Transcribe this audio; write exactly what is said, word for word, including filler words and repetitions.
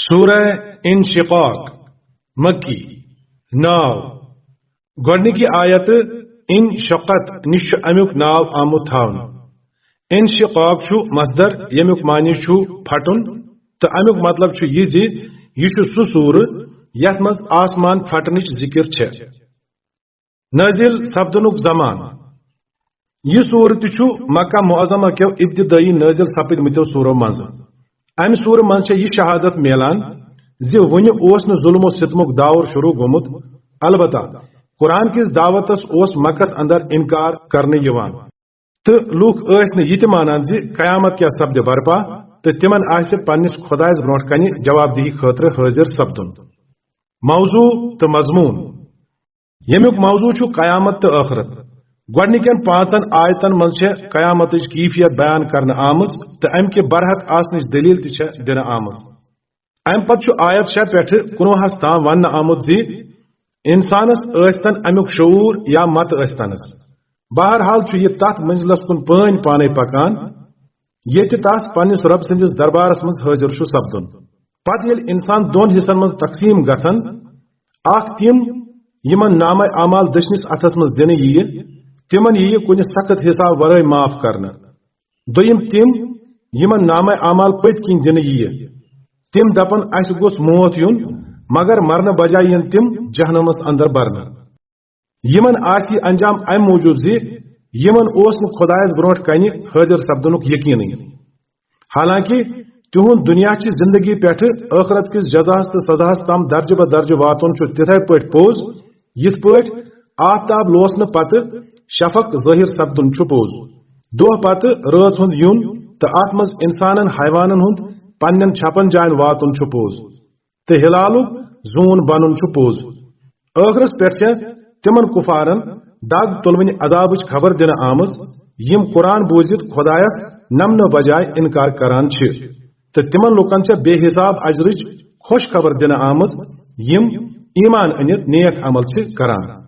سورہ انشقاق، مکی۔ ناو۔ گۄڈنِکہِ آیتہٕ انشقت نِش چھُ امیُک ناو آمُت تھاونہٕ۔ انشقاق چھُ مصدر، ییٚمیُک معنی چھُ پھٹُن، تہٕ امیُک مطلب چھُ یہِ زِ یہِ چھُ سُہ سورٕ یتھ منٛز آسمان پھٹنٕچ ذکر چھےٚ۔ نٲزِل سپدنُک زمانہٕ۔ یہِ سورٕ تہِ چھُ مکہ معظمہ کیو ابتدٲئی نٲزِل سپٕدمٕتیو سورو منٛزٕ۔ امہِ سورٕ منٛز چھےٚ یہِ شہادت میلان زِ وُنہِ اوس نہٕ ظلم و ستمُک دور شروع گوٚمُت، البتہ قرآن کِس دعوتس اوس مکس اندر انکار کرنہٕ یِوان، تہٕ لوٗکھ ٲسۍ نہٕ یہِ تہِ مانان زِ قیامت کیٛاہ سپدِ برپا تہٕ تِمن آسہِ پننِس خۄدایس برونٛٹھ کنہِ جواب دہی خٲطرٕ حٲضِر سپدُن۔ موضوع تہٕ مضموٗن۔ ییٚمیُک موضوع چھُ قیامت تہٕ ٲخرت۔ گۄڈٕنِکٮ۪ن پانٛژن آیتن منٛز چھےٚ قیامتٕچ کیفیت بیان کرنہٕ آمٕژ تہٕ امہِ کہِ برحق آسنٕچ دٔلیٖل تہِ چھےٚ دِنہٕ آمٕژ۔ امہِ پتہٕ چھُ آیت شےٚ پٮ۪ٹھٕ کُنوُہس تام وننہٕ آمُت زِ انسانس ٲسۍتن امیُک شعوٗر یا مت ٲسۍتنس، بہرحال چھُ یہِ تتھ منزلس کُن پٲنۍ پانے پکان، ییٚتہِ تس پننِس رۄب سٕنٛدِس دربارس منٛز حٲضِر چھُ سپدُن۔ پتہٕ ییٚلہِ انسان دۄن حصن منٛز تقسیٖم گژھن، اکھ تِم یِمن نامہ اعمال دٔچھنِس اتھس منٛز دِنہٕ یِیہِ، تِمن یِیہِ کُنہِ سخت حساب ورٲے معاف کرنہٕ۔ دوٚیِم تِم یِمن نامہ اعمال پٔتۍ کِنۍ دِنہٕ یِیہِ، تِم دپن، "اسہِ گوٚژھ موت یُن"، مگر مرنہٕ بجایہِ یِن تِم جہنمس اندر برنہٕ۔ یِمن آسہِ یہِ انجام امہِ موٗجوٗب زِ یِمن اوس نہٕ خۄدایس برونٛٹھ کنہِ حٲضِر سپدنُک یقینٕے۔ حالانکہ تِہُنٛد دُنیا چہِ زندگی پٮ۪ٹھٕ ٲخرت کِس جزاہس تہٕ سزاہس تام درجہٕ بہ درجہٕ واتُن چھُ تِتھے پٲٹھۍ پوٚز، یِتھ پٲٹھۍ آفتاب لوسنہٕ پتہٕ شفق ظٲہِر سپدُن چھُ پوٚز، دۄہ پتہٕ رٲژ ہُنٛد یُن تہٕ اتھ منٛز انسانن حیوانن ہُنٛد پننٮ۪ن چھپن جاین واتُن چھُ پوٚز، تہٕ ہلالُک زوٗن بنُن چھُ پوٚز۔ ٲخرس پٮ۪ٹھ چھےٚ تِمن کفارن دگ تُلوٕنۍ عذابٕچ خبر دِنہٕ آمٕژ، یِم قرآن بوٗزِتھ خۄدایس نمنہٕ بجایہِ انکار کران چھِ، تہٕ تِمن لوٗکن چھےٚ بے حساب اجرٕچ خوش خبر دِنہٕ آمٕژ، یِم ایمان أنِتھ نیک عمل چھِ کران۔